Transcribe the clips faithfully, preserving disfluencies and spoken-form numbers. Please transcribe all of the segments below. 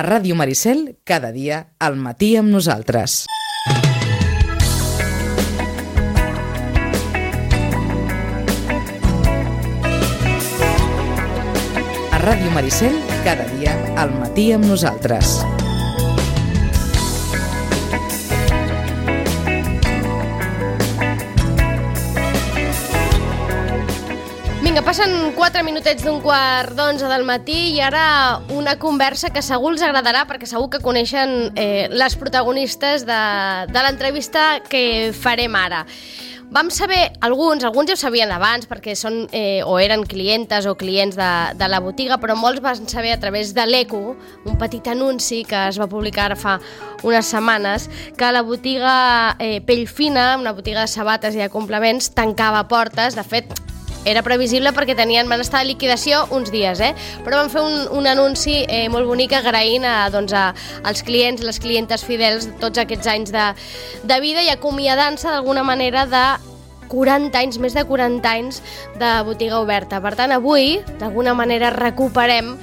A Ràdio Maricel, cada dia, al matí amb nosaltres. A Ràdio Maricel, cada dia, al matí amb nosaltres. Vinga, passen quatre minutets d'un quart d'onze del matí i ara una conversa que segur els agradarà perquè segur que coneixen eh, les protagonistes de, de l'entrevista que farem ara. Vam saber, alguns, alguns ja ho sabien abans perquè són eh, o eren clientes o clients de, de la botiga, però molts van saber a través de l'Eco, un petit anunci que es va publicar ara fa unes setmanes, que la botiga eh, Pellfina, una botiga de sabates i de complements, tancava portes. De fet, era previsible perquè tenien, van estar de liquidació uns dies, eh? Però van fer un, un anunci eh, molt bonic agraint a, doncs, a, als clients, les clientes fidels de tots aquests anys de, de vida i acomiadant-se d'alguna manera de quaranta anys, més de quaranta anys de botiga oberta. Per tant, avui, d'alguna manera, recuperem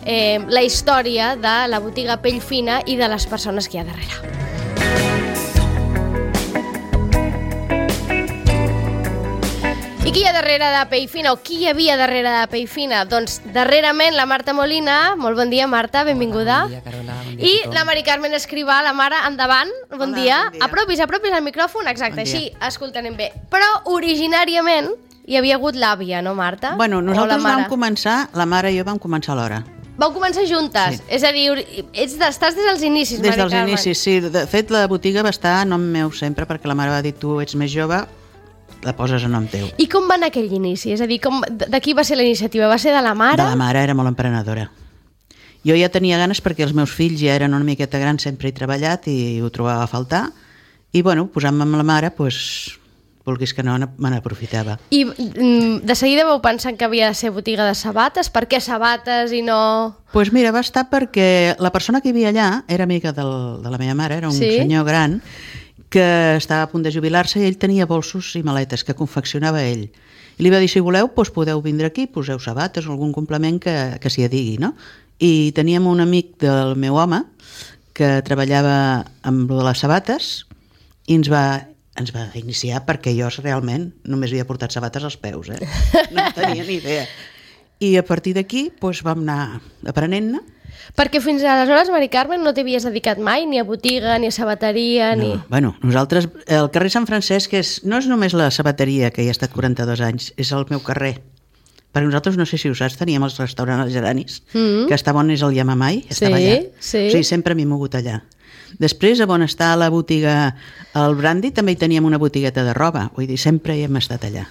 eh, la història de la botiga Pellfina i de les persones que hi ha darrere. I qui hi ha darrere de Pellfina, o qui hi havia darrere de Pellfina? Doncs darrerament la Marta Molina. Molt bon dia, Marta, benvinguda. Bon dia, Carola. Bon dia I la Mari Carmen Escrivà, la mare, endavant. Bon Hola, dia. bon dia. Apropis, apropis al micròfon, exacte, Bon dia. així escoltarem bé. Però originàriament hi havia hagut l'àvia, no, Marta? Bueno, O la nosaltres mare? vam començar, la mare i jo vam començar a l'hora. Vau començar juntes? Sí. És a dir, ori- ets de, estàs des dels inicis, Des Mari dels Carmen. inicis, sí. De fet, la botiga va estar a nom meu sempre, perquè la mare va dir, tu ets més jove, la poses a nom teu. I com va anar aquell inici? És a dir, com, de, de qui va ser la iniciativa? Va ser de la mare? De la mare, era molt emprenedora. Jo ja tenia ganes perquè els meus fills ja eren una miqueta grans, sempre he treballat i ho trobava a faltar. I, bueno, posant-me amb la mare, doncs, vulguis que no, me n'aprofitava. I mm, de seguida vau pensar que havia de ser botiga de sabates? Per què sabates i no... Doncs pues mira, va estar perquè la persona que hi havia allà era amiga del, de la meva mare, era un Sí? senyor gran que estava a punt de jubilar-se i ell tenia bolsos i maletes que confeccionava ell. I li va dir, si voleu, doncs podeu vindre aquí, poseu sabates o algun complement que, que s'hi adigui, no? I teníem un amic del meu home que treballava amb lo de les sabates i ens va, ens va iniciar perquè jo realment només havia portat sabates als peus, eh? No en tenia ni idea. I a partir d'aquí doncs, vam anar aprenent-ne. Perquè fins aleshores, Mari Carmen, no t'havies dedicat mai ni a botiga, ni a sabateria, ni... No, bueno, nosaltres, el carrer Sant Francesc és, no és només la sabateria, que hi ha estat quaranta-dos anys, és el meu carrer. Perquè nosaltres, no sé si ho saps, teníem el restaurant Els Geranis, Mm. que estava on és el Yamamai, estava Sí, allà. sí. O sigui, sempre m'he mogut allà. Després, a on està la botiga, el Brandy, també hi teníem una botigueta de roba, vull dir, sempre hi hem estat allà.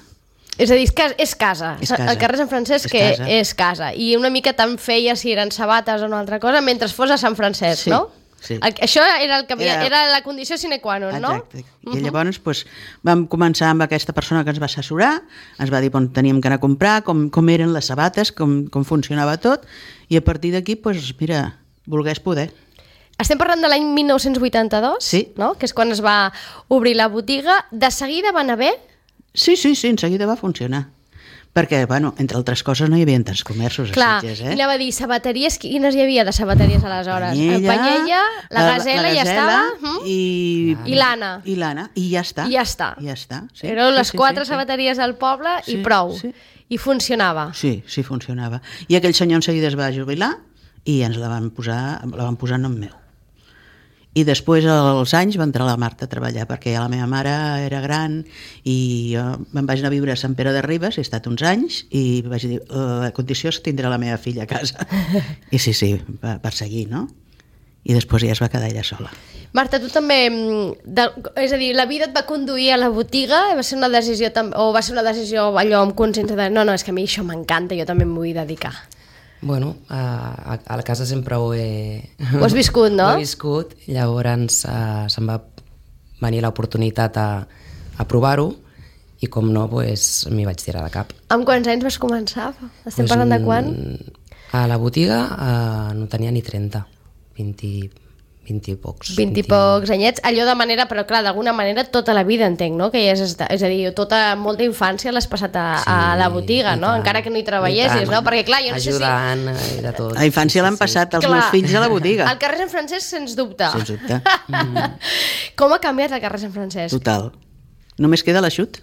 És a dir, és casa. És casa. És casa. El carrer Sant Francesc És que casa. és casa. I una mica tant feia si eren sabates o una altra cosa mentre fos a Sant Francesc, Sí, no? sí. El- Això era, el que havia, Era- era la condició sine qua non, no? Exacte. I llavors doncs, vam començar amb aquesta persona que ens va assessorar, ens va dir on teníem que anar a comprar, com, com eren les sabates, com, com funcionava tot, i a partir d'aquí, doncs, mira, volgués poder. Estem parlant de l'any mil nou-cents vuitanta-dos, Sí. no? Que és quan es va obrir la botiga. De seguida va anar bé? Sí, sí, sí, en seguida va funcionar. Perquè, bueno, entre altres coses no hi havia tants comerços a Clar, Sitges, i eh? anava a dir, sabateries, quines hi havia de sabateries aleshores? El Panyella, la Gazela, ja estava, mm? i... I l'Anna. I l'Anna, i ja està. I ja està. I ja està, sí. Eren sí, les sí, quatre sí, sí. sabateries al poble i Sí, prou. sí. I funcionava. Sí, sí, funcionava. I aquell senyor en seguida es va jubilar i ens la van posar, la van posar en nom meu. I després, als anys, va entrar la Marta a treballar, perquè ja la meva mare era gran i jo me'n vaig anar a viure a Sant Pere de Ribes, he estat uns anys, i vaig dir, la condició és tindre la meva filla a casa. I sí, sí, va, va seguir, no? I després ja es va quedar ella sola. Marta, tu també, mm, de, és a dir, la vida et va conduir a la botiga, va ser una decisió, tam- o va ser una decisió allò amb consciència de no, no, és que a mi això m'encanta, jo també m'ho vull dedicar. Bueno, a, a la casa sempre ho he... Ho has viscut, no? Ho he viscut, llavors uh, se'm va venir l'oportunitat a, a provar-ho i com no, pues, m'hi vaig tirar de cap. Amb quants anys vas començar? Estem Pues, parlant de quan? mm, A la botiga uh, no tenia ni trenta, vint, vint i pocs. vint i pocs anyets, allò de manera, però clar, d'alguna manera tota la vida entenc, no? Que hi has estat, és a dir, tota molta infància l'has passat a, sí, a la botiga, no? Tant, encara que no hi treballessis, no? Perquè clar, jo no ajudant, sé si... i de tot. A infància sí, l'han sí, passat els clar, meus fills a la botiga. Al carrer Sant Francesc, sens dubte. Sens dubte. Mm. Com ha canviat el carrer Sant Francesc? Total. Només queda l'Aixut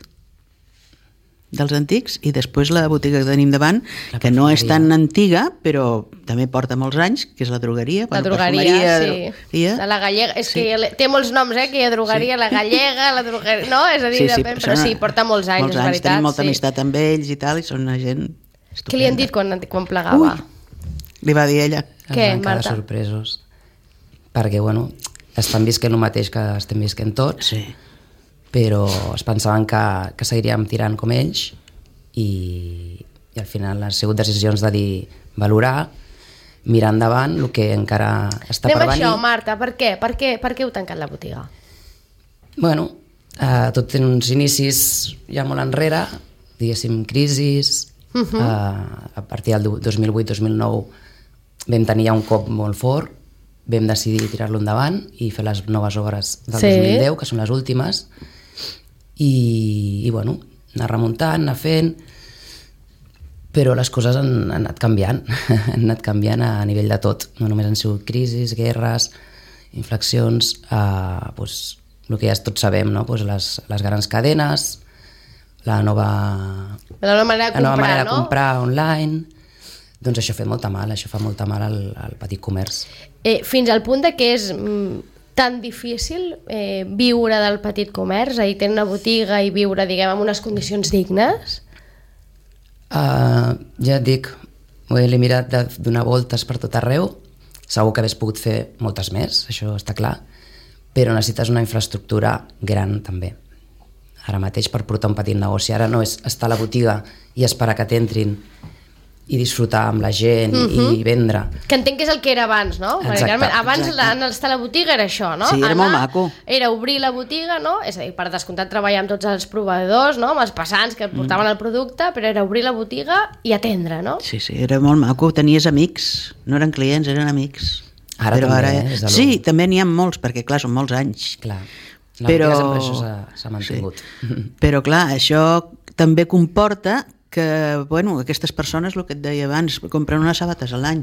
dels antics i després la botiga que tenim davant, la que no és tan antiga però també porta molts anys, que és la drogueria, la bueno, drogueria, sí, drogueria. La gallega, és sí. que té molts noms, eh, que hi ha drogueria, sí. La gallega, la drogueria, no? És a dir, sí, sí, depèn, però, però sí, porta molts anys, molts és anys, veritat. Tenim molta sí. amistat amb ells i tal, i són una gent estupenda. Què li han dit quan, quan plegava? Ui, li va dir ella. Què, Marta? Quedar sorpresos, perquè, bueno, estan visquent el mateix que estem visquent tots, sí. Però es pensaven que, que seguiríem tirant com ells, i, i al final han sigut decisions de dir, valorar, mirar endavant el que encara està Anem per venir. Anem això, Marta, per què? Per què, per què heu tancat la botiga? Bueno, eh, tot té uns inicis ja molt enrere, diguéssim, crisis, uh -huh. eh, a partir del dos mil vuit dos mil nou vam tenir ja un cop molt fort, vam decidir tirar-lo endavant i fer les noves obres del sí. dos mil deu, que són les últimes, i, i bueno, anar remuntant, anar fent, però les coses han, han anat canviant, han anat canviant a nivell de tot, no només han sigut crisis, guerres, inflexions, eh, pues, el que ja tots sabem, no? Pues les, les grans cadenes, la nova, la nova manera de comprar, la nova manera no? de comprar online, doncs això fa molta mal, això fa molta mal al, al petit comerç. Eh, fins al punt de que és mm, tan difícil eh, viure del petit comerç, és a dir, tenir una botiga i viure, diguem, en unes condicions dignes? Uh, ja et dic, l'he mirat de donar voltes per tot arreu, segur que hagués pogut fer moltes més, això està clar, però necessites una infraestructura gran també. Ara mateix per portar un petit negoci, ara no és estar a la botiga i esperar que t'entrin i disfrutar amb la gent uh-huh. i vendre. Que entenc que és el que era abans, no? Exacte, abans exacte. estar a la botiga era això, no? Sí, era Anar, molt maco. Era obrir la botiga, no? És a dir, per descomptat treballar amb tots els proveïdors, no? Amb els passants que portaven mm. el producte, però era obrir la botiga i atendre, no? Sí, sí, era molt maco. Tenies amics, no eren clients, eren amics. Ara però també, ara... eh? És de Sí, també n'hi ha molts, perquè clar, són molts anys. Clar, la però... botiga sempre això s'ha mantingut. Sí. Però clar, això també comporta que, bueno, aquestes persones, el que et deia abans, compren unes sabates a l'any,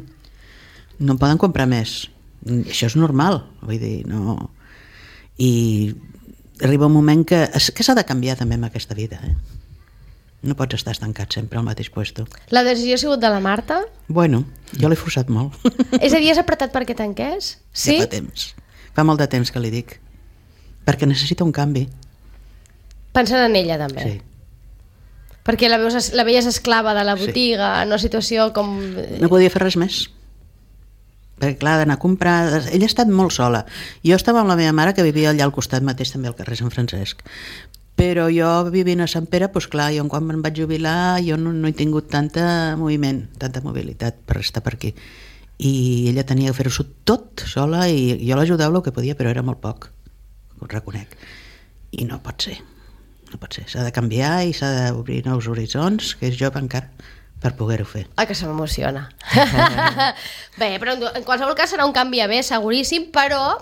no en poden comprar més. Això és normal, vull dir, no... I arriba un moment que, que s'ha de canviar també amb aquesta vida, eh? No pots estar estancat sempre al mateix puesto. La decisió ha sigut de la Marta? Bueno, jo l'he forçat molt. És a dir, has apretat perquè tanqués? Sí? Ja fa temps. Fa molt de temps que li dic. Perquè necessita un canvi. Pensant en ella, també? Sí. Perquè la, veus, la veies esclava de la botiga, sí. En una situació com... No podia fer res més. Perquè clar, d'anar a comprar... Ella ha estat molt sola. Jo estava amb la meva mare, que vivia allà al costat mateix, també al carrer Sant Francesc. Però jo, vivint a Sant Pere, doncs clar, jo quan me'n vaig jubilar, jo no, no he tingut tanta moviment, tanta mobilitat per estar per aquí. I ella tenia que fer-ho tot sola, i jo l'ajudava el que podia, però era molt poc, ho reconec. I no pot ser. No pot ser, s'ha de canviar i s'ha d'obrir nous horitzons, que és jove encara, per poder-ho fer. Ah, que se m'emociona. Bé, però en qualsevol cas serà un canvi a bé, seguríssim, però,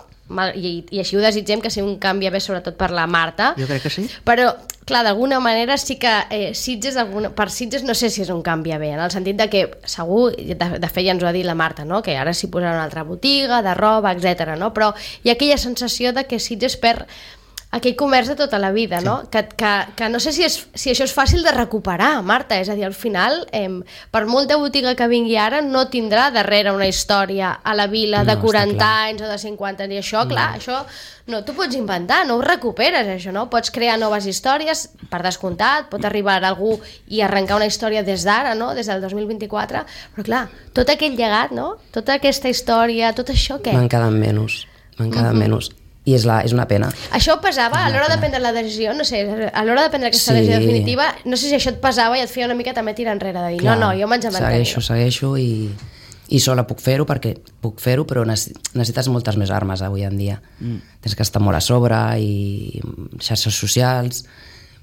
i, i així ho desitgem, que sigui un canvi a bé sobretot per la Marta. Jo crec que sí. Però, clar, d'alguna manera sí que eh, Sitges, per Sitges no sé si és un canvi a bé, en el sentit de que segur, de, de fet ja ens ho ha dit la Marta, no? Que ara s'hi posarà una altra botiga, de roba, etcètera. No? Però hi ha aquella sensació de que Sitges perd aquell comerç de tota la vida, sí. No? Que, que, que no sé si, és, si això és fàcil de recuperar, Marta, és a dir, al final, eh, per molta botiga que vingui ara, no tindrà darrere una història a la vila no, de quaranta anys o de cinquanta anys, i això, clar, no. Això no t'ho pots inventar, no ho recuperes, això, no? Pots crear noves històries, per descomptat, pot arribar algú i arrencar una història des d'ara, no? Des del dos mil vint-i-quatre, però clar, tot aquell llegat, no? Tota aquesta història, tot això, què? Me'n queden menys, me'n queden uh-huh. menys. I és, la, és una pena. Això pesava a l'hora de prendre la decisió, no sé, a l'hora de prendre aquesta sí. decisió definitiva, no sé si això et pesava i et feia una mica també tirar enrere, de dir, clar, no, no, jo m'haig de mantenir. Segueixo, segueixo i, i sola puc fer-ho perquè puc fer-ho, però necessites moltes més armes avui en dia. Mm. Tens que estar molt a sobre i xarxes socials,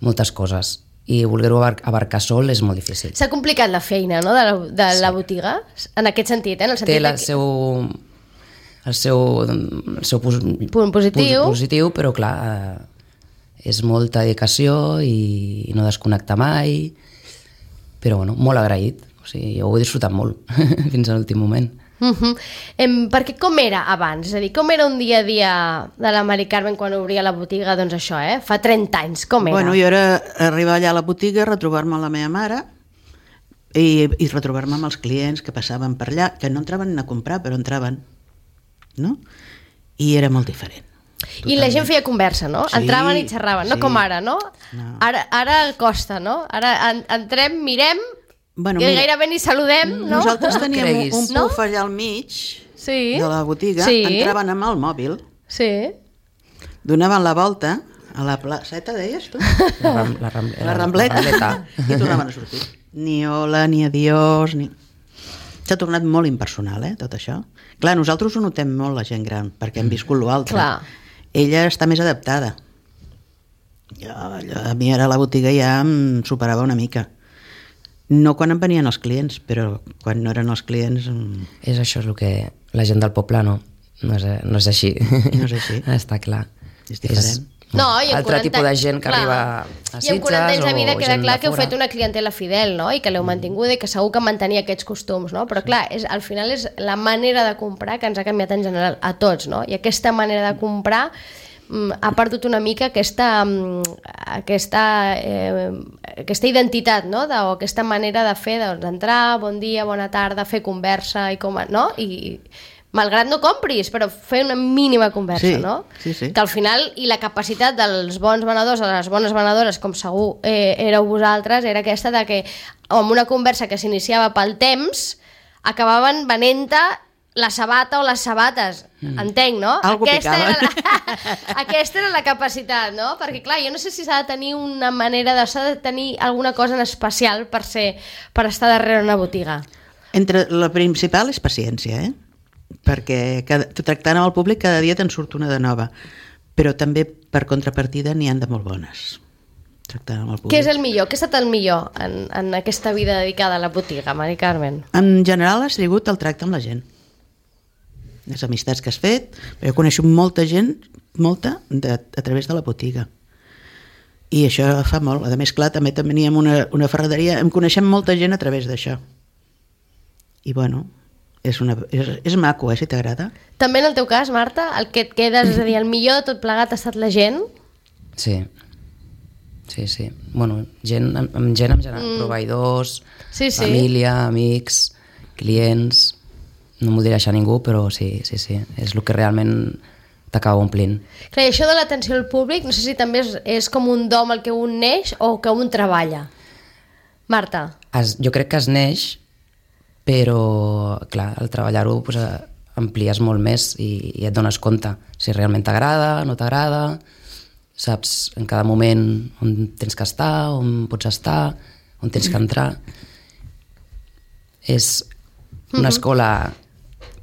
moltes coses. I voler-ho abarcar sol és molt difícil. S'ha complicat la feina, no?, de la, de la sí. botiga, en aquest sentit, eh? En el sentit té la que... seu... el seu, el seu pos, punt positiu. Pos, positiu, però clar, eh, és molta dedicació i, i no desconnecta mai, però bueno, molt agraït, o sigui, jo ho he disfrutat molt fins a l'últim moment. Uh -huh. em, perquè com era abans? És a dir, com era un dia a dia de la Mari Carmen quan obria la botiga? Doncs això, eh? Fa trenta anys, com era? Bueno, jo era arribar allà a la botiga, retrobar-me amb la meva mare i, i retrobar-me amb els clients que passaven per allà, que no entraven a comprar, però entraven, no? I era molt diferent. I la gent feia conversa, no? Sí, entraven i xerraven, no sí. com ara, no? No. Ara, ara costa, no? Ara en, entrem, mirem, Bueno, que mira, gairebé ni saludem, no? nosaltres teníem creguis. un, un No? puf allà al mig Sí. de la botiga, Sí. entraven amb el mòbil, Sí. donaven la volta a la placeta, deies tu? La, ram, la, ram, La rambleta, La rambleta. i tornaven a sortir. Ni hola, ni adiós, ni... S'ha tornat molt impersonal, eh, tot això. Clar, nosaltres ho notem molt, la gent gran, perquè hem viscut l'altre. Clar. Ella està més adaptada. Jo, allò, a mi ara la botiga ja em superava una mica. No quan em venien els clients, però quan no eren els clients... em- És això, és el que la gent del poble no, no, és, no és així. No és així. Està clar. És diferent. No, i en altre quaranta tipus de gent que clar. arriba a I Sitges en quaranta anys de vida o queda gent clar de que heu fora. fet una clientela fidel, no? I que l'heu mantinguda i que segur que mantenia aquests costums, no? Però clar, és, al final és la manera de comprar que ens ha canviat en general a tots, no? I aquesta manera de comprar mm, ha perdut una mica aquesta, mm, aquesta, eh, aquesta identitat, no? De, o aquesta manera de fer, doncs, d'entrar, bon dia, bona tarda, fer conversa, i com, a- no? I malgrat no compris, però fer una mínima conversa, Sí, no? sí, sí. Que al final, i la capacitat dels bons venedors o de les bones venedores, com segur eh, éreu vosaltres, era aquesta de que amb una conversa que s'iniciava pel temps, acabaven venent la sabata o les sabates, mm. entenc, no? Algo aquesta, picava. era la, aquesta era la capacitat, no? Perquè clar, jo no sé si s'ha de tenir una manera de, s'ha de tenir alguna cosa en especial per ser, per estar darrere una botiga. Entre la principal és paciència, eh? Perquè cada, tractant amb el públic cada dia te'n surt una de nova, però també per contrapartida n'hi han de molt bones tractant amb el públic. Què és el millor? Què ha estat el millor en, en aquesta vida dedicada a la botiga, Mari Carmen? En general ha sigut el tracte amb la gent, les amistats que has fet. Jo coneixo molta gent, molta, de, a través de la botiga, i això fa molt. A més, clar, també teníem una, una ferreteria, em coneixem molta gent a través d'això, i bueno, és, una, és, és maco, eh, si t'agrada. També en el teu cas, Marta, el que et quedes, és a dir, el millor de tot plegat ha estat la gent? Sí, sí, sí. Bueno, gent, amb, amb gent en general, mm. proveïdors, Sí, sí. família, amics, clients, no m'ho diré deixar ningú, però sí, sí, sí, és el que realment t'acaba omplint. Clar, i això de l'atenció al públic, no sé si també és, és com un dom el que un neix o que un treballa. Marta? Es, jo crec que es neix, però, clar, al treballar-ho pues, amplies molt més i, i et dones compte si realment t'agrada, no t'agrada, saps en cada moment on tens que estar, on pots estar, on tens que entrar. És una escola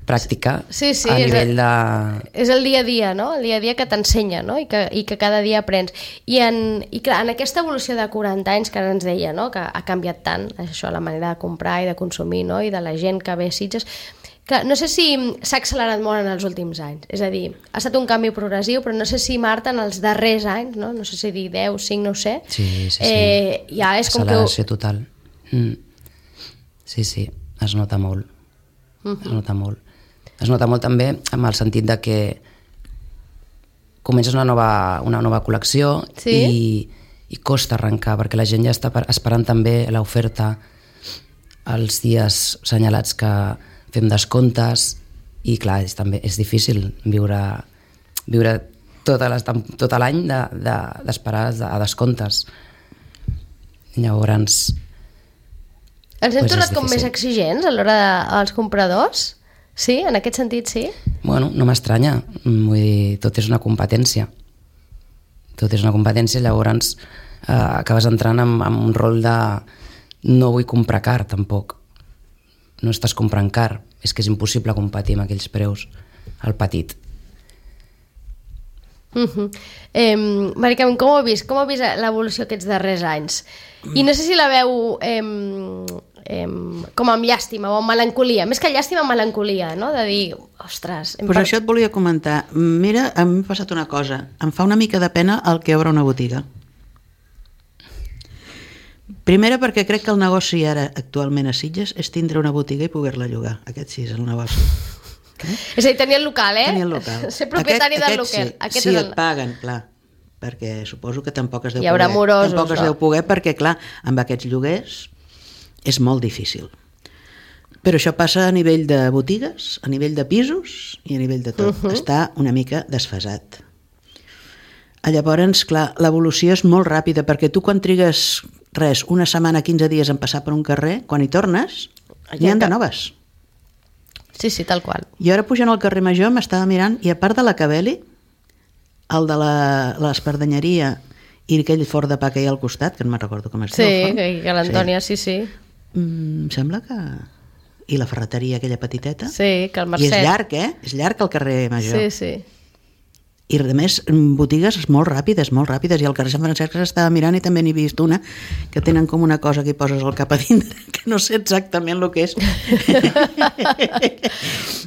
pràctica Sí, sí, a és nivell el- de... És el dia a dia, no? El dia a dia que t'ensenya, no? I que, I que cada dia aprens. I, en, i clar, en aquesta evolució de quaranta anys que ara ens deia, no? Que ha canviat tant això, la manera de comprar i de consumir, no? I de la gent que ve a Sitges. Clar, no sé si s'ha accelerat molt en els últims anys. És a dir, ha estat un canvi progressiu, però no sé si, Marta, en els darrers anys, no? No sé si dir deu, cinc, no ho sé. Sí, sí, sí. Eh, ja és com que... Acceleració total. Mm. Sí, sí, es nota molt. Uh-huh. Es nota molt. Es nota molt també amb el sentit de que comences una nova, una nova col·lecció Sí. i, i costa arrencar, perquè la gent ja està per- esperant també l'oferta els dies senyalats que fem descomptes i clar, és, també, és difícil viure, viure tota les, tem- tot l'any de, de, d'esperar a descomptes. Llavors... Ens hem Pues és tornat com difícil. més exigents a l'hora dels compradors? Sí? En aquest sentit, sí? Bueno, no m'estranya, vull dir, tot és una competència. Tot és una competència, llavors eh, acabes entrant en, en un rol de no vull comprar car, tampoc. No estàs comprant car, és que és impossible competir amb aquells preus al petit. Uh-huh. Eh, Mari Carmen, com ho heu vist? Com heu vist l'evolució aquests darrers anys? I no sé si la veu eh, eh, com amb llàstima o amb melancolia, més que llàstima, melancolia, no? De dir, ostres... Doncs pues això et volia comentar. Mira, a mi m'ha passat una cosa. Em fa una mica de pena el que obre una botiga. Primera, perquè crec que el negoci ara, actualment a Sitges, és tindre una botiga i poder-la llogar. Aquest sí és el negoci. És a dir, tenir el local, eh? Tenir el local. Ser propietari aquest, del aquest local. Sí, Aquest sí és el... et paguen, clar, perquè suposo que tampoc es deu Hi haurà poder. morosos, tampoc es no? deu poder perquè, clar, amb aquests lloguers és molt difícil. Però això passa a nivell de botigues, a nivell de pisos i a nivell de tot. Uh-huh. Està una mica desfasat. Llavors, clar, l'evolució és molt ràpida, perquè tu quan trigues res, una setmana, quinze dies en passar per un carrer, quan hi tornes, n'hi ha de noves. Sí, sí, tal qual. Jo ara pujant al carrer Major m'estava mirant i a part de la Cabeli, el de l'espardanyeria i aquell forn de pa que hi ha al costat, que no me'n recordo com es diu. Sí, que, que l'Antònia, sí, sí. sí. Mm, em sembla que... I la ferreteria aquella petiteta. Sí, que el Mercè. I és llarg, eh? És llarg el carrer Major. Sí, sí. I a més, botigues molt ràpides, molt ràpides, i al carrer Sant Francesc s'estava mirant i també n'he vist una que tenen com una cosa que hi poses el cap a dintre, que no sé exactament el que és.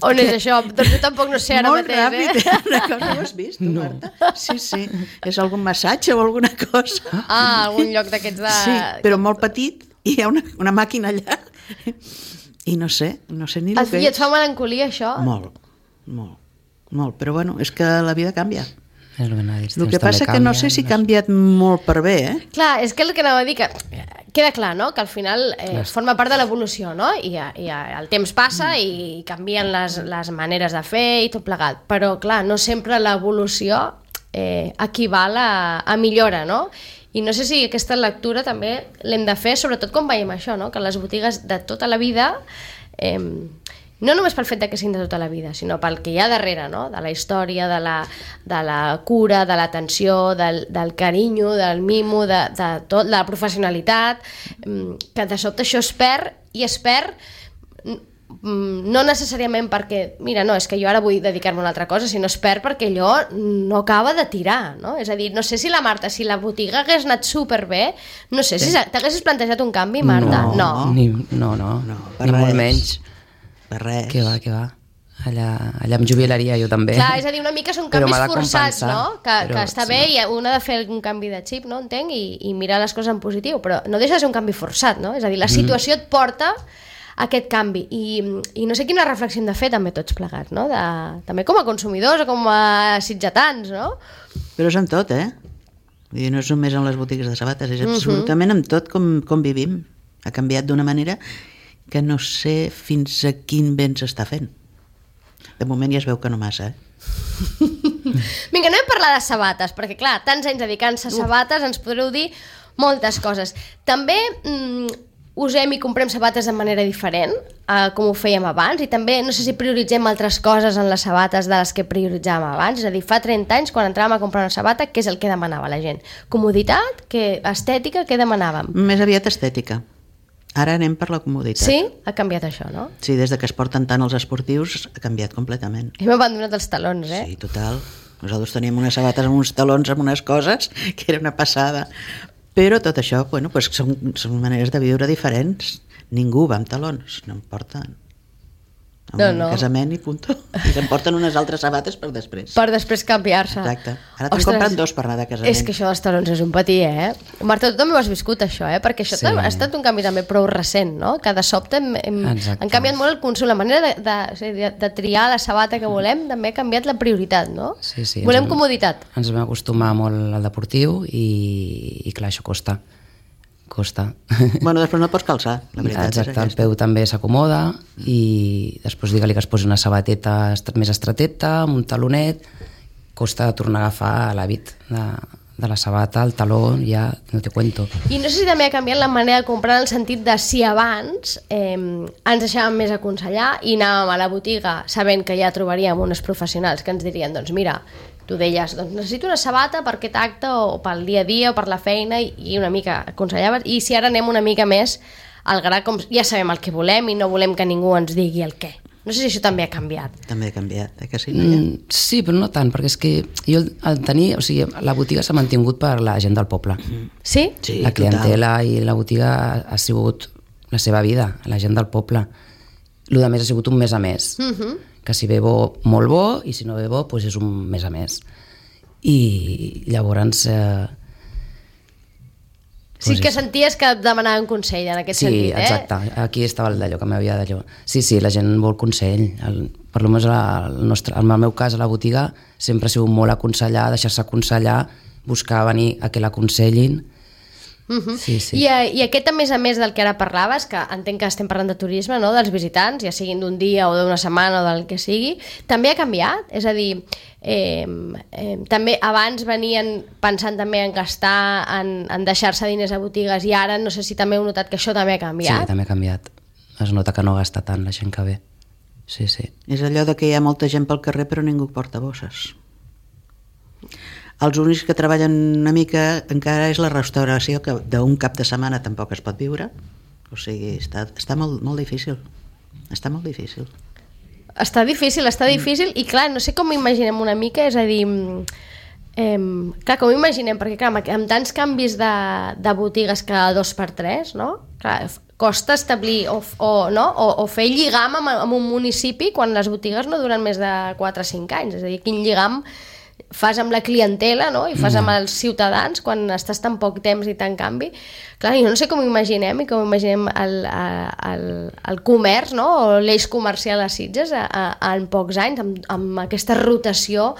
On és això? Doncs jo tampoc no sé ara molt mateix, ràpid, eh? una cosa, ho has vist, tu, no. Marta? Sí, sí, és algun massatge o alguna cosa. Ah, algun lloc d'aquests de... Sí, però molt petit, i hi ha una, una màquina allà, i no sé, no sé ni el que és. I et fa melancolia, això? Molt, molt. Molt, però bueno, és que la vida canvia. És el, el que passa que no sé si ha canviat molt per bé, eh? Clar, és que el que anava a dir, que queda clar, no?, que al final eh, forma part de l'evolució, no?, I, i el temps passa i canvien les, les maneres de fer i tot plegat, però clar, no sempre l'evolució eh, equival a, a millora, no?, i no sé si aquesta lectura també l'hem de fer, sobretot quan veiem això, no?, que les botigues de tota la vida... Eh, no només pel fet que siguin de tota la vida, sinó pel que hi ha darrere, no? De la història, de la, de la cura, de l'atenció, del, del carinyo, del mimo, de, de tot, de la professionalitat, que de sobte això es perd, i es perd no necessàriament perquè, mira, no, és que jo ara vull dedicar-me a una altra cosa, sinó es perd perquè allò no acaba de tirar, no? És a dir, no sé si la Marta, si la botiga hagués anat superbé, no sé, si t'haguessis plantejat un canvi, Marta? No, no, ni, no, no, no ni molt menys. Per res. Què va, què va. Allà, allà em jubilaria jo també. Clar, és a dir, una mica són canvis forçats, no? Que, però, que està bé sí, i un ha de fer un canvi de xip, no? Entenc, i, i mirar les coses en positiu, però no deixa de ser un canvi forçat, no? És a dir, la situació et porta a aquest canvi, i, i no sé quina reflexió hem de fer també tots plegats, no? De, també com a consumidors o com a sitgetans, no? Però és amb tot, eh? Vull dir, no és només en les botigues de sabates, és absolutament amb tot com, com vivim. Ha canviat d'una manera que no sé fins a quin vent s'està fent. De moment ja es veu que no massa, eh? Vinga, anem a parlar de sabates, perquè clar, tants anys dedicant-se a sabates, ens podreu dir moltes coses. També mm, usem i comprem sabates de manera diferent, eh, com ho fèiem abans, i també no sé si prioritzem altres coses en les sabates de les que prioritzàvem abans. És a dir, fa trenta anys, quan entràvem a comprar una sabata, què és el que demanava la gent? Comoditat? Que, estètica? Què demanàvem? Més aviat estètica. Ara anem per la comoditat. Sí? Ha canviat això, no? Sí, des de que es porten tant els esportius ha canviat completament. Hem abandonat els talons, eh? Sí, total. Nosaltres teníem unes sabates amb uns talons, amb unes coses, que era una passada. Però tot això, bueno, pues són, són maneres de viure diferents. Ningú va amb talons, no em porten. Amb no, un no. casament i punto. I se'n porten unes altres sabates per després. Per després canviar-se. Exacte. Ara te'n compren dos per anar de casament. És que això dels talons és un patí, eh? Marta, tu també ho has viscut, això, eh? Perquè això sí. ha estat un canvi també prou recent, no? Que de sobte hem, hem, han canviat molt el consum. La manera de, de, de, de triar la sabata que volem també ha canviat la prioritat, no? Sí, sí. Volem ens, comoditat. Ens vam acostumar molt al deportiu i, i clar, això costa. Costa. Bueno, després no et pots calçar, la veritat. Exacte, el peu també s'acomoda i després digue-li que es posi una sabateta més estreteta, amb un talonet, costa tornar a agafar l'hàbit de, de la sabata, el taló, ja no te cuento. I no sé si també ha canviat la manera de comprar en el sentit de si abans eh, ens deixàvem més aconsellar i anàvem a la botiga sabent que ja trobaríem uns professionals que ens dirien, doncs mira, tu deies, doncs necessito una sabata per aquest acte o pel dia a dia o per la feina, i una mica aconsellaves, i si ara anem una mica més al gra, com ja sabem el que volem i no volem que ningú ens digui el què. No sé si això també ha canviat. També ha canviat, eh que sí? Mm, sí, però no tant, perquè és que jo al tenir, o sigui, la botiga s'ha mantingut per la gent del poble. Sí? Sí, la clientela total. I la botiga ha sigut la seva vida, la gent del poble. El de més ha sigut un mes a més, Mhm. que si ve bo, molt bo, i si no ve bo, doncs és un mes a més. I llavors... Eh, Sí doncs que és- senties que demanaven consell en aquest sí, sentit, eh? exacte, aquí estava el d'allò, que m'havia d'allò. Sí, sí, la gent vol consell. El, per almenys el nostre, en el meu cas, a la botiga, sempre ha sigut molt aconsellar, deixar-se aconsellar, buscar venir a que l'aconsellin. Uh-huh. Sí, sí. I, eh, I aquest, a més a més del que ara parlaves, que entenc que estem parlant de turisme, no? Dels visitants, ja siguin d'un dia o d'una setmana o del que sigui, també ha canviat? És a dir, eh, eh, també abans venien pensant també en gastar, en, en deixar-se diners a botigues, i ara no sé si també heu notat que això també ha canviat. Sí, també ha canviat. Es nota que no gasta tant la gent que ve. Sí, sí. És allò de que hi ha molta gent pel carrer però ningú porta bosses. Els únics que treballen una mica encara és la restauració, que d'un cap de setmana tampoc es pot viure. O sigui, està, està molt, molt difícil. Està molt difícil. Està difícil, està difícil, i clar, no sé com imaginem una mica, és a dir, eh, clar, com imaginem, perquè clar, amb, amb tants canvis de, de botigues cada dos per tres, no? Clar, f- costa establir o, f- o, no? o, o fer lligam amb, amb un municipi quan les botigues no duren més de quatre o cinc anys, és a dir, quin lligam fas amb la clientela, no? I fas amb els ciutadans quan estàs tan poc temps i tan canvi. Clar, jo no sé com imaginem i com imaginem el, el, el comerç, no? O l'eix comercial a Sitges a, a, en pocs anys, amb, amb aquesta rotació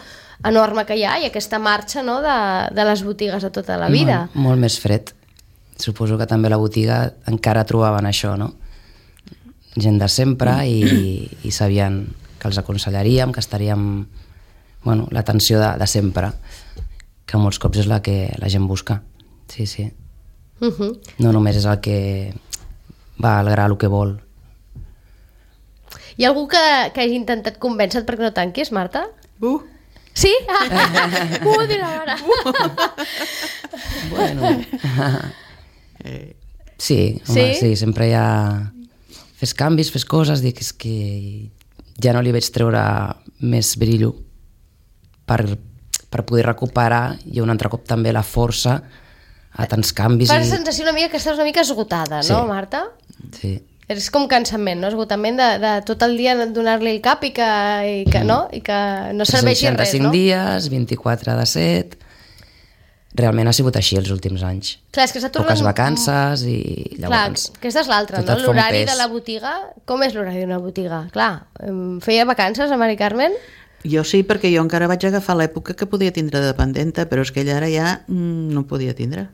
enorme que hi ha i aquesta marxa, no? de, de les botigues a tota la vida. Molt, molt més fred. Suposo que també a la botiga encara trobaven això, no? Gent de sempre i, i sabien que els aconsellaríem, que estaríem... Bueno, l'atenció de, de sempre, que molts cops és la que la gent busca. Sí, sí. Uh -huh. No només és el que va al gra el que vol. Hi ha algú que, que hagi intentat convèncer perquè no tanquis, Marta? Uh, Sí? Ah, uh, dirà ara. Bueno. Sí, home, Sí? sí, sempre hi ha... Fes canvis, fes coses, dic, és que ja no li veig treure més brillo per, per poder recuperar i un altre cop també la força a tants canvis. Fa la I... sensació una mica que estàs una mica esgotada, no, Sí. Marta? Sí. És com cansament, no? Esgotament de, de tot el dia donar-li el cap i que, i que, no? I que no serveixi res, tres-cents seixanta-cinc no? dies, vint-i-quatre de set... Realment ha sigut així els últims anys. Clar, és que s'ha tornat... Poques vacances i Clar, llavors... aquesta és l'altra, tot no? et fa un L'horari pes. de la botiga... Com és l'horari d'una botiga? Clar, em feia vacances a Mari Carmen? jo sí, perquè jo encara vaig agafar l'època que podia tindre dependenta, però és que ella ara ja mm, no podia tindre.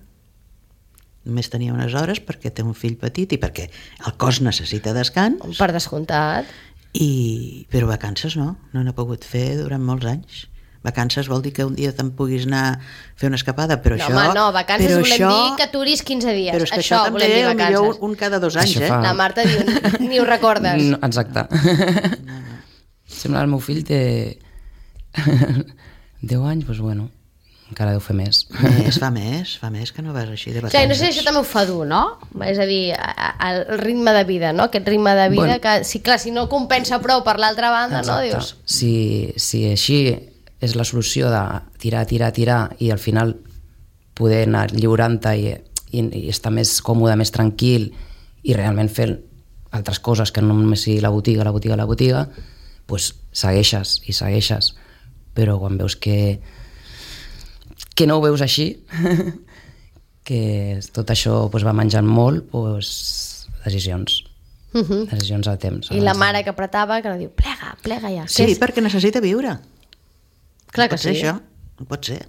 Només tenia unes hores perquè té un fill petit i perquè el cos necessita descans, Per descomptat. i... però vacances no, no n'he pogut fer durant molts anys. Vacances vol dir que un dia te'n puguis anar a fer una escapada, però No, això... home, no, vacances però volem això, dir que aturis quinze dies. Però és que això, això, volem també dir millor vacances. un, un cada dos anys, Això eh? fa- La Marta diu, ni ho recordes. No, exacte. Sembla que el meu fill té deu anys, doncs bueno, encara deu fer més. Més, fa més, fa més que no vas així de vacances. Clar, i no sé si això també ho fa dur, no? És a dir, a- a- el ritme de vida, no? Aquest ritme de vida Bueno. que, si, clar, si no compensa prou per l'altra banda, no? Exacte. Dius, Si, si així és la solució de tirar, tirar, tirar i al final poder anar lliurant-te i, i, i estar més còmode, més tranquil i realment fer altres coses que no només sigui la botiga, la botiga, la botiga, doncs segueixes i segueixes. Però quan veus que, que no ho veus així, que tot això doncs, va menjant molt, doncs, decisions. uh -huh. Decisions a temps. I la mare que apretava, que no diu, plega, plega ja. Sí, Que és- perquè necessita viure. Clar no que pot ser sí. això, no pot ser.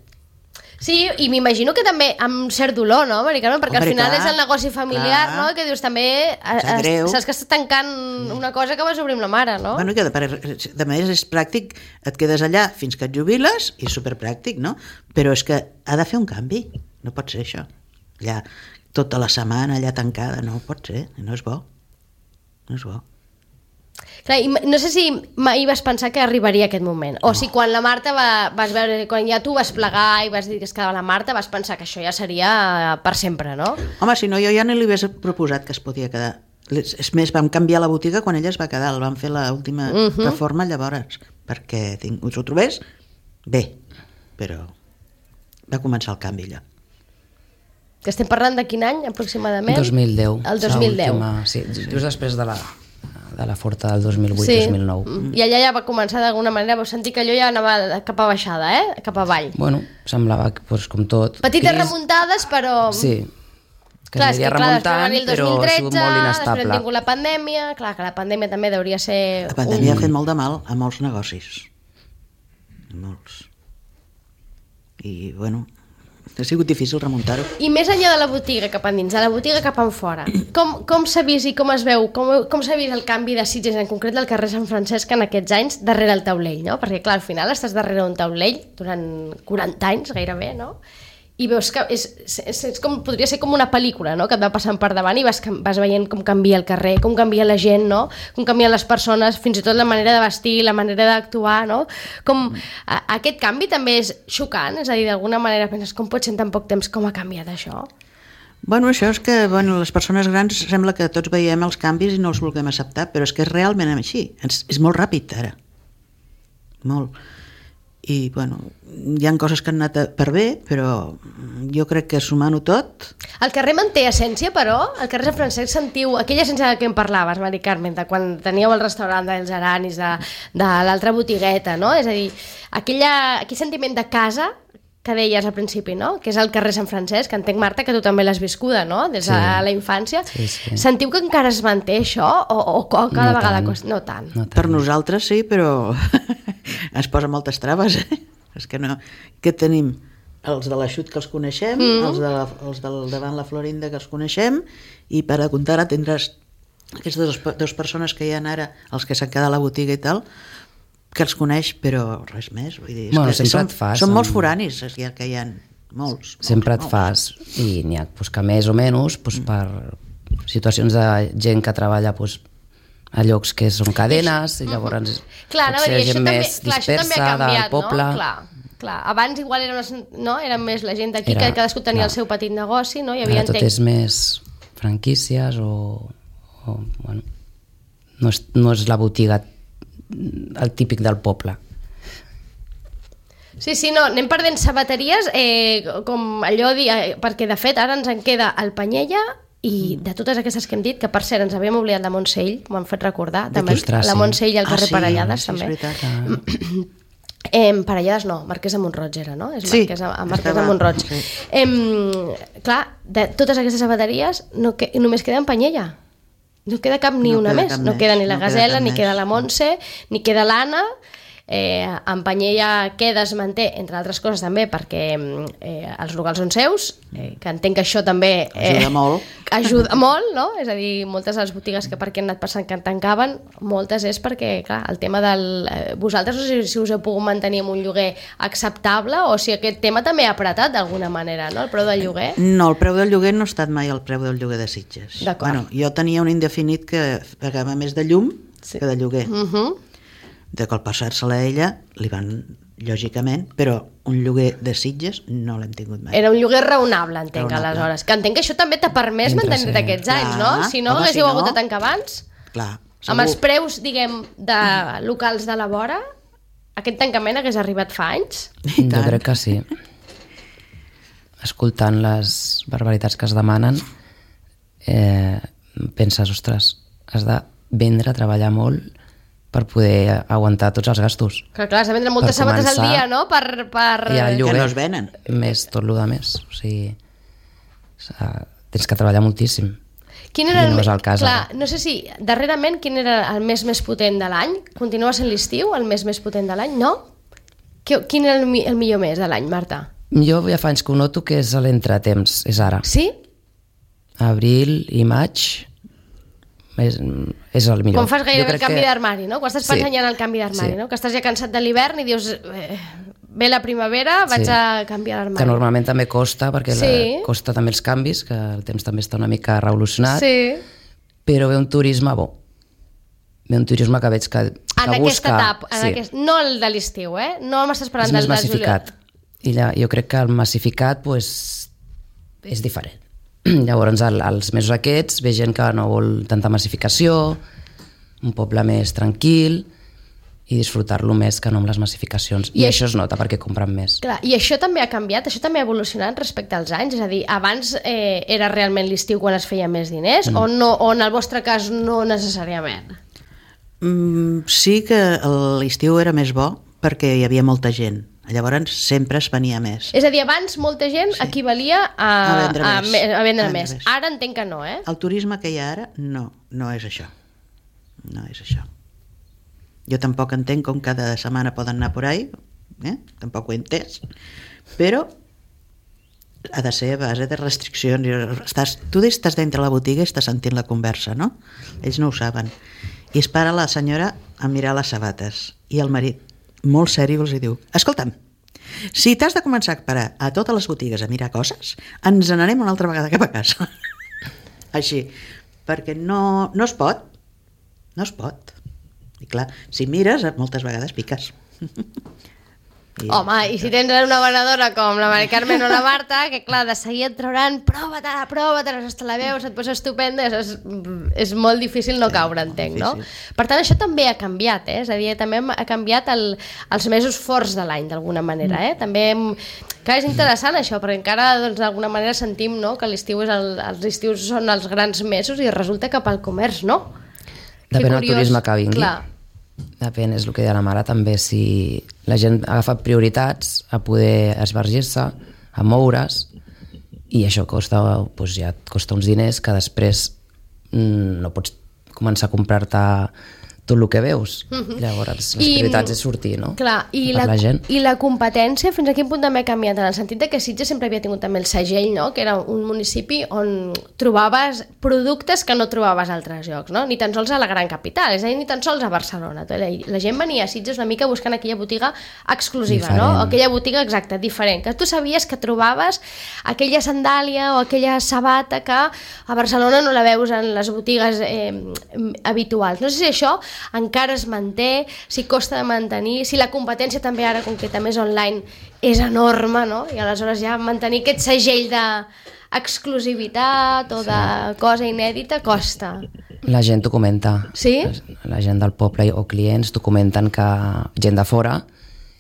Sí, i m'imagino que també amb cert dolor, no, Mari Carmen? Perquè Hombre, al final clar, és el negoci familiar, clar. no? Que dius també... eh, Sap greu. Saps que estàs tancant una cosa que vas obrir amb la mare, no? Bueno, i que de, de manera és pràctic, et quedes allà fins que et jubiles i és superpràctic, no? Però és que ha de fer un canvi, no pot ser això. Allà, tota la setmana allà tancada, no pot ser, no és bo. No és bo. Clar, i no sé si mai vas pensar que arribaria aquest moment, o si quan la Marta va, vas veure, quan ja tu vas plegar i vas dir que es quedava la Marta, vas pensar que això ja seria per sempre, no? Home, si no, jo ja no li hagués proposat que es podia quedar. És més, vam canviar la botiga quan ella es va quedar, el vam fer l'última uh -huh. reforma llavors, perquè tinc, us ho trobés bé, però va començar el canvi allò. Que estem parlant de quin any, aproximadament? dos mil deu. El dos mil deu. Sí, just després de la, de la forta del dos mil vuit dos mil nou. Sí, i allà ja va començar d'alguna manera, vau sentir que allò ja anava cap a baixada, eh? Cap avall. Bueno, semblava que, pues, com tot... Petites Cris... remuntades, però... Sí, que clar, és que, aniria clar, després va remuntant, venir el dos però mil ha sigut tretze, molt després hem inestable. tingut la pandèmia, clar que la pandèmia també hauria ser... La pandèmia un... ha fet molt de mal a molts negocis. Molts. I, bueno, ha sigut difícil remuntar-ho. I més enllà de la botiga cap endins, de la botiga cap en fora, com, com s'ha vist i com es veu, com, com s'ha vist el canvi de Sitges, en concret del carrer Sant Francesc en aquests anys, darrere el taulell, no? Perquè, clar, al final estàs darrere un taulell durant quaranta anys, gairebé, no? I veus que és, és, és com, podria ser com una pel·lícula, no? Que et va passant per davant i vas, vas veient com canvia el carrer, com canvia la gent, no? Com canvien les persones, fins i tot la manera de vestir, la manera d'actuar, no? Com, a, aquest canvi també és xocant, és a dir, d'alguna manera penses, com pot ser en tan poc temps, com ha canviat això? Bueno, això és que bueno, les persones grans sembla que tots veiem els canvis i no els vulguem acceptar, però és que és realment així, és, és molt ràpid ara, molt. I, bueno, hi ha coses que han anat per bé, però jo crec que sumant-ho tot... El carrer manté essència, però? El carrer Sant Francesc sentiu aquella essència de què em parlaves, Mari Carmen, de quan teníeu el restaurant dels Aranis, de, de l'altra botigueta, no? És a dir, aquella, aquell sentiment de casa que deies al principi, no? Que és el carrer Sant Francesc, que entenc, Marta, que tu també l'has viscuda, no? Des de Sí. la infància. Sí, sí. Sentiu que encara es manté això? O, o, o cada No vegada tant. costa? No tant. No tant. Per nosaltres sí, però es posa moltes traves, eh? És que no... Què tenim? Els de l'Aixut, que els coneixem, mm. els, de la, els del davant la Florinda, que els coneixem, i per a comptar ara tindràs aquestes dues, dues persones que hi ha ara, els que s'han quedat a la botiga i tal, que els coneix, però res més. Vull dir, és Bueno, que sempre són, et fas són amb- molts foranis que hi ha, que hi ha molts. molts Sempre et molts. fas, i n'hi ha pues, que més o menys pues, per situacions de gent que treballa pues, a llocs que són cadenes, i llavors Clar, anava a potser dir, això gent també, més clar, això també ha dispersa canviat, del poble. no? Clar, clar. Abans igual eren, les, no? eren més la gent d'aquí, Era- que cadascú tenia clar. el seu petit negoci, no? Hi havia, Ara tot entenc- és més franquícies o, o bueno, no és, no és la botiga el típic del poble. Sí, sí, no, anem perdent sabateries, eh, com allò, di- eh, perquè de fet ara ens en queda el Panyella i de totes aquestes que hem dit, que per cert ens havíem oblidat la Montsell, m'ho han fet recordar, també Ostres, la sí. Montsell i el carrer sí, Parellades, sí, és també. veritat. Ah, Eh, Parellades no, Marquès de Montroig era, no? És Sí, Marquès, a Marquès estava- de Montroig. sí. Eh, clar, de totes aquestes sabateries no que, només queda en Panyella. No queda cap ni No una queda més. cap No més, queda ni la no queda Gasela, cap ni més. queda la Montse, ni queda l'Anna. Eh, en Panyella queda, es manté, entre altres coses també, perquè eh, els locals són seus, eh, que entenc que això també... Eh, Ajuda molt. Ajuda molt, no? És a dir, moltes de les botigues que per què han anat passant que tancaven, moltes és perquè, clar, el tema del... Eh, vosaltres no sé si us heu pogut mantenir amb un lloguer acceptable o si aquest tema també ha apretat d'alguna manera, no? El preu del lloguer. No, el preu del lloguer no ha estat mai el preu del lloguer de Sitges. D'acord. Bueno, jo tenia un indefinit que pagava més de llum Sí. que de lloguer. Uh -huh. De cop passar-se-la a ella, li van, lògicament, però un lloguer de Sitges no l'hem tingut mai. Era un lloguer raonable, entenc, Raonable. aleshores. Que entenc que això també t'ha permès Mentre mantenir-te ser- aquests anys, Clar, no? Si no, home, haguéssiu si hagut no- de tancar abans. Clar, Amb els segur. preus, diguem, de locals de la vora, aquest tancament hagués arribat fa anys? I jo tant. crec que sí. Escoltant les barbaritats que es demanen, eh, penses, ostres, has de vendre, treballar molt per poder aguantar tots els gastos. Que clar, has de vendre moltes Per sabates al començar, dia, no? Per, per... I el Que lloguer, no es venen. més tot el de més. O sigui, s'ha- tens que treballar moltíssim. Quin era I no el, és el cas, clar, ara. no sé si darrerament quin era el mes més potent de l'any? Continua sent l'estiu el mes més potent de l'any, no? Qui- Quin era el, mi- el millor mes de l'any, Marta? Jo ja fa anys que ho noto que és l'entretemps, és ara. Sí? Abril i maig és, és el millor. Quan fas Jo gairebé el crec canvi que- d'armari, no? Quan estàs Sí. pensant ja en el canvi d'armari, Sí. no? Que estàs ja cansat de l'hivern i dius, eh, ve la primavera, vaig Sí. a canviar l'armari. Que normalment també costa, perquè Sí. la, costa també els canvis, que el temps també està una mica revolucionat, Sí. però ve un turisme bo. Ve un turisme que veig que, En que aquesta busca... etapa, en sí, aquest, no el de l'estiu, eh? No m'estàs parlant és més del de massificat. I ja, jo crec que el massificat pues, és diferent. Llavors, el, els mesos aquests ve gent que no vol tanta massificació, un poble més tranquil, i disfrutar-lo més que no amb les massificacions. I, I això es nota perquè compren més. Clar, i això també ha canviat, això també ha evolucionat respecte als anys? És a dir, abans eh, era realment l'estiu quan es feia més diners mm. o, no, o en el vostre cas no necessàriament? Mm, sí que l'estiu era més bo perquè hi havia molta gent. Llavors sempre es venia més. És a dir, abans molta gent sí. equivalia a, a vendre, a, més. a, a vendre a més. més. Ara entenc que no, eh? El turisme que hi ha ara, no, no és això. No és això. Jo tampoc entenc com cada setmana poden anar por ahí, eh? Tampoc ho he entès, però ha de ser a base de restriccions. Estàs, tu estàs dintre la botiga i estàs sentint la conversa, no? Ells no ho saben. I es para la senyora a mirar les sabates i el marit, molt seri, els diu: escolta'm, si t'has de començar a parar a totes les botigues a mirar coses, ens n'anem una altra vegada cap a casa. Així, perquè no, no es pot, no es pot. I clar, si mires, moltes vegades piques. I... Home, i si tens una venedora com la Mari Carmen o la Marta, que clar, de seguir et trauran prova-te, prova-te, hasta la veus, et posa estupenda, és, és molt difícil no caure, entenc, no? Per tant, això també ha canviat, eh? És a dir, també ha canviat el, els mesos forts de l'any, d'alguna manera, eh? També, clar, és interessant això, perquè encara, doncs, d'alguna manera sentim, no?, que l'estiu és el, els estius són els grans mesos i resulta que pel comerç, no? Depèn del turisme que vingui. Clar. Depèn, és el que deia la mare també, si la gent agafa prioritats a poder esbargir-se, a moure's, i això costa, doncs ja et costa uns diners que després mm, no pots començar a comprar-te tot el que veus. Mm-hmm. Llavors, les I, prioritats és sortir, no? Clar, i la, la gent. I la competència, fins a quin punt també ha canviat? En el sentit de que Sitges sempre havia tingut també el segell, no?, que era un municipi on trobaves productes que no trobaves a altres llocs, no? Ni tan sols a la gran capital, és a dir, ni tan sols a Barcelona. La, la gent venia a Sitges una mica buscant aquella botiga exclusiva, diferent. No? Aquella botiga exacta, diferent, que tu sabies que trobaves aquella sandàlia o aquella sabata que a Barcelona no la veus en les botigues eh, habituals. No sé si això encara es manté, si costa de mantenir, si la competència també ara, com que també és online, és enorme, no? I aleshores ja mantenir aquest segell d'exclusivitat o de cosa inèdita costa. La gent t'ho comenta. Sí? La gent del poble o clients t'ho comenten, que gent de fora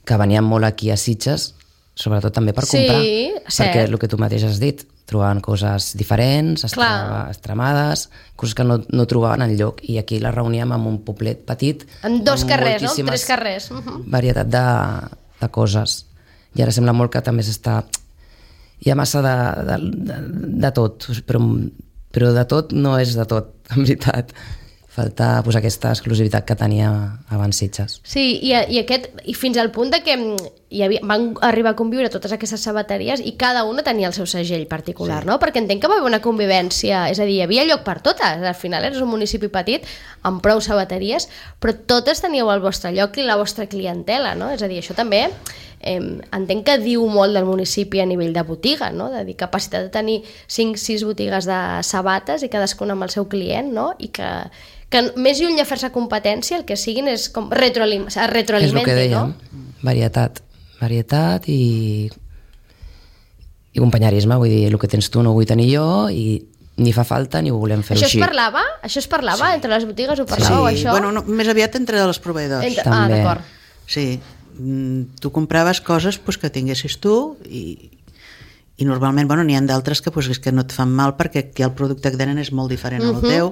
que venien molt aquí a Sitges, sobretot també per comprar. Sí, cert. Perquè el que tu mateix has dit, trobaven coses diferents, extremades, coses que no, no trobaven enlloc, i aquí les reuníem en un poblet petit, en dos carrers, no? En tres carrers. Uh-huh. Varietat de, de coses. I ara sembla molt que també s'està... Hi ha massa de, de, de, de tot, però, però de tot no és de tot, en veritat. Falta pues, aquesta exclusivitat que tenia abans Sitges. Sí, i, i, aquest, i fins al punt de que hi havia, van arribar a conviure totes aquestes sabateries i cada una tenia el seu segell particular, sí. No? Perquè entenc que va haver una convivència, és a dir, hi havia lloc per totes, al final eres un municipi petit amb prou sabateries, però totes teníeu el vostre lloc i la vostra clientela, no? És a dir, això també eh, entenc que diu molt del municipi a nivell de botiga, no? De dir, capacitat de tenir cinc sis botigues de sabates i cadascuna amb el seu client, no? I que que més lluny de fer-se competència, el que siguin és com retroalim retroalimenti, és el que dèiem, no? Varietat. Varietat i, i companyerisme, vull dir, el que tens tu no ho vull tenir jo i ni fa falta ni ho volem fer això així. Això es parlava? Això es parlava? Sí. Entre les botigues ho parlàveu, sí. això? Bueno, no, més aviat entre els proveïdors. Entre... Ah, d'acord. Sí, tu compraves coses pues, que tinguessis tu i, i normalment bueno, n'hi ha d'altres que, pues, que no et fan mal perquè el producte que tenen és molt diferent uh-huh. al teu.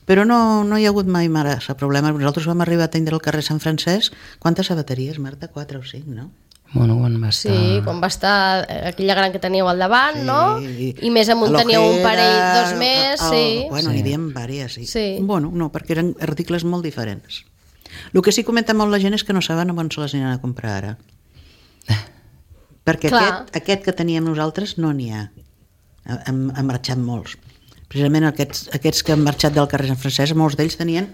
Però no, no hi ha hagut mai massa problema. Nosaltres vam arribar a atendre el carrer Sant Francesc. Quantes sabateries, Marta? Quatre o cinc, no? Bueno, quan va estar... Sí, quan va estar aquella gran que teníeu al davant, sí, no? I, I més amunt teníeu un parell, dos més, el, sí. Bueno, sí. n'hi havia diverses, sí. sí. Bueno, no, perquè eren articles molt diferents. El que sí comenta molt la gent és que no saben on se les aniran a comprar ara. Perquè aquest, aquest que teníem nosaltres no n'hi ha. Hem, hem marxat molts. Precisament aquests, aquests que han marxat del carrer Sant Francesc, molts d'ells tenien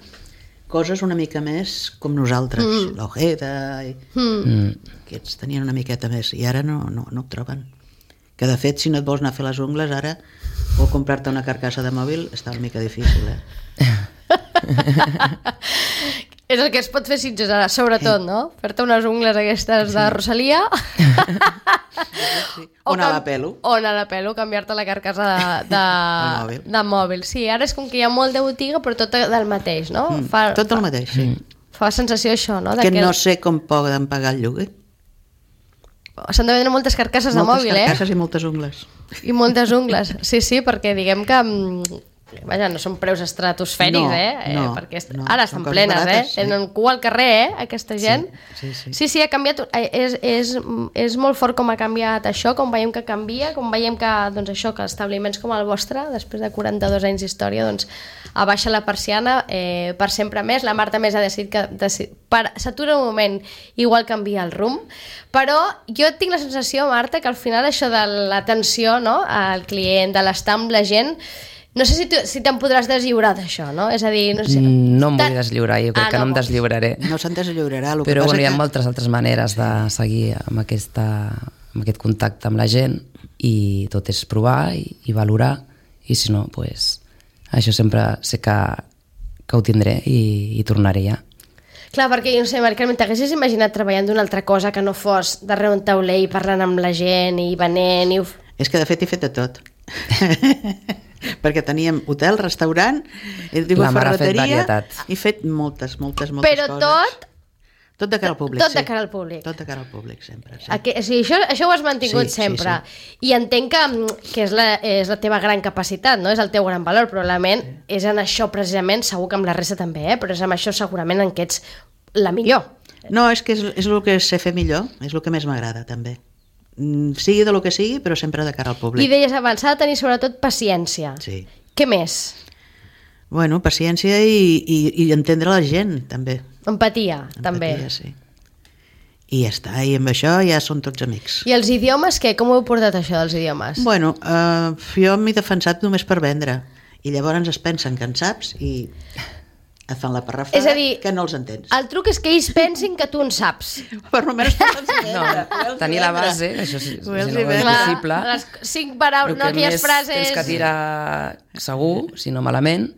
coses una mica més com nosaltres, mm. l'Ojeda i... Mm. Aquests tenien una miqueta més i ara no, no, no ho troben. Que de fet, si no et vols anar a fer les ungles ara o comprar-te una carcassa de mòbil està una mica difícil, eh? És el que es pot fer Sitges ara, sobretot, no? Fer-te unes ungles aquestes de Rosalia. Sí. O anar a la pelo. O anar a la pelo, canviar-te la carcassa de, de, mòbil. de mòbil. Sí, ara és com que hi ha molt de botiga, però tot del mateix, no? Mm, fa, tot el mateix, sí. Fa la sensació això, no? De que no sé com poden pagar el lloguer. S'han de vendre moltes carcasses de mòbil, eh? Moltes carcasses i moltes ungles. I moltes ungles, sí, sí, perquè diguem que... Vaja, no són preus estratosfèrics, no, eh? No, perquè est... no, ara estan plenes, barates, eh? Tenen cua al carrer, eh? Aquesta gent. Sí, sí, sí. Sí, sí, ha canviat. És, és, és molt fort com ha canviat això, com veiem que canvia, com veiem que, doncs això, que establiments com el vostre, després de quaranta-dos anys d'història, doncs abaixa la persiana eh, per sempre més. La Marta més ha decidit que decid... per... s'atura un moment, igual canvia el rumb, però jo tinc la sensació, Marta, que al final això de l'atenció, no?, al client, de l'estar amb la gent, no sé si, tu, si te'n podràs deslliurar d'això, no? És a dir, no sé... No em vull deslliurar, jo crec ah, que no, no em deslliuraré. No se'n deslliurarà. El Però que bueno, hi ha que... moltes altres maneres de seguir amb, aquesta, amb aquest contacte amb la gent i tot és provar i, i valorar i si no, pues, això sempre sé que, que ho tindré i, i tornaré ja. Clar, perquè jo no sé, Mari Carmen, t'haguessis imaginat treballant d'una altra cosa que no fos darrere un tauler i parlant amb la gent i venent i... És que de fet he fet de tot. Perquè teníem hotel, restaurant, he tingut ferreteria, he fet moltes, moltes, moltes Però coses. Però tot... Tot de cara al públic, tot sí. de cara al públic. Tot de cara al públic, sempre. Sí. Aqu o sigui, això, això ho has mantingut sí, sempre. Sí, sí. I entenc que, que és, la, és la teva gran capacitat, no? És el teu gran valor, probablement sí. És en això precisament, segur que amb la resta també, eh? Però és en això segurament en què ets la millor. No, és que és, és el que sé fer millor, és el que més m'agrada també. Sigui de lo que sigui, però sempre de cara al públic. I deies abans, s'ha de tenir sobretot paciència. Sí. Què més? Bueno, paciència i, i, i entendre la gent, també. Empatia, Empatia també. Sí. I ja està, i amb això ja són tots amics. I els idiomes, què? Com ho heu portat això dels idiomes? Bueno, eh, jo m'he defensat només per vendre, i llavors es pensen que en saps i et fan la parrafada, és a dir, que no els entens. El truc és que ells pensin que tu en saps. Per almenys tu els vendre. No, tenir la base, això sí, si no és vendre. possible. Les cinc paraules, no aquelles frases... Tens que tirar segur, si no malament,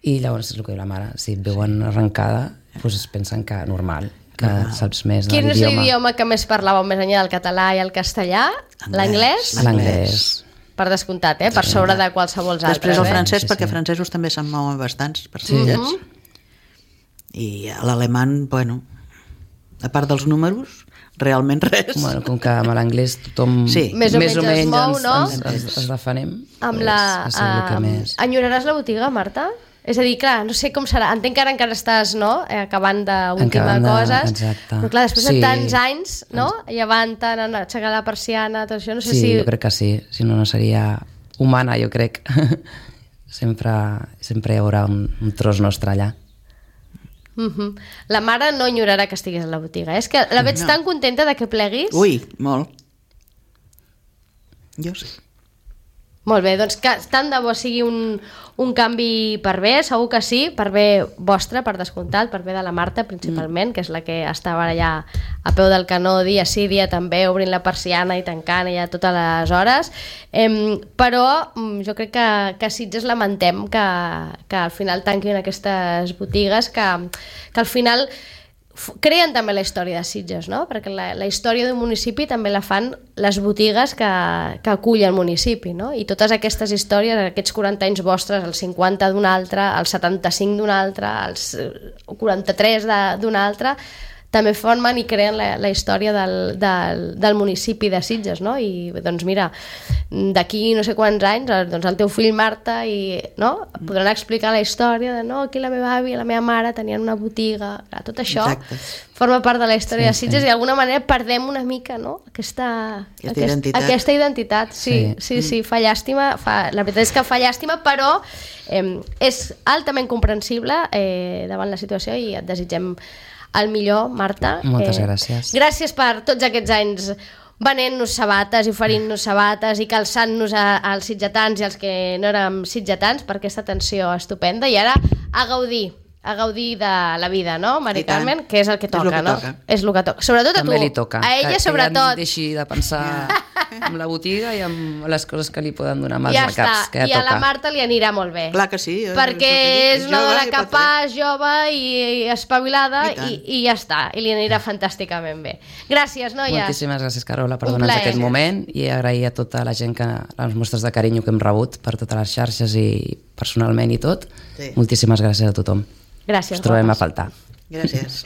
i llavors és el que diu la mare, si et veuen arrencada, doncs es pensen que normal, que ah. saps més de l'idioma. Quin és l'idioma que més parlàveu més enllà del català i el castellà? L'anglès? L'anglès. Per descomptat, eh? Per sobre de qualsevol altre. Després el eh? francès, sí, perquè sí. francesos també se'n mouen bastants per sí. sillets. I l'alemany, bueno, a part dels números, realment res. Bueno, com que amb l'anglès tothom sí. més o més menys, o menys es mou, ens, no? ens, ens, ens defenem, amb pues, la, és el que més... Enyoraràs la botiga, Marta? És a dir, clar, no sé com serà. Entenc que ara encara estàs, no?, acabant d'última coses. Exacte. Però clar, després sí. de tants anys, no?, llevantant, aixecar la persiana, tot això, no sé sí, si... Sí, jo crec que sí. Si no, no seria humana, jo crec. sempre, sempre hi haurà un, un tros nostre allà. Uh-huh. La mare no enyorarà que estigués a la botiga. És que la veig no. tan contenta de que pleguis. Ui, molt. Jo sí. Molt bé, doncs que tant de bo sigui un, un canvi per bé, segur que sí, per bé vostre, per descomptat, per bé de la Marta principalment, mm. que és la que estava allà a peu del canó dia sí, dia també, obrint la persiana i tancant ja totes les hores, eh, però jo crec que, que a Sitges lamentem que, que al final tanquin aquestes botigues, que, que al final creen també la història de Sitges, no? Perquè la, la història d'un municipi també la fan les botigues que, que acull el municipi, no? I totes aquestes històries, aquests quaranta anys vostres, els cinquanta d'un altre, els setanta-cinc d'un altre, els quaranta-tres d'un altre, també formen i creen la, la història del, del, del municipi de Sitges, no? I doncs mira, d'aquí no sé quants anys, doncs el teu fill Marta i, no? podran explicar la història de no, aquí la meva àvia i la meva mare tenien una botiga, clar, tot això Exacte. Forma part de la història sí, de Sitges sí. I d'alguna manera perdem una mica, no? Aquesta, aquesta, aquest, identitat. aquesta identitat. Sí, sí, sí, sí fa llàstima, fa, la veritat és que fa llàstima, però eh, és altament comprensible eh, davant la situació i et desitgem el millor, Marta. Moltes eh, gràcies. Gràcies per tots aquests anys venent-nos sabates i oferint-nos sabates i calçant-nos als sitgetans i als que no érem sitgetans per aquesta atenció estupenda. I ara a gaudir, a gaudir de la vida, no, Mari Carmen? Que és el que toca, és el que no? Toca. És el que toca. Sobretot a També tu. li toca. A ella, que, sobretot. Que ja deixi de pensar amb la botiga i amb les coses que li poden donar mals ja de caps. Està. Que ja I a toca. la Marta li anirà molt bé. Clar que sí. Perquè és una dona capaç, jove i espavilada i, i, i ja està. I li anirà fantàsticament bé. Gràcies, noies. Moltíssimes gràcies, Carola, per donar-nos aquest moment i agrair a tota la gent que les mostres de carinyo que hem rebut per totes les xarxes i personalment i tot. Sí. Moltíssimes gràcies a tothom. Gràcies. Ens trobem a faltar. Gràcies.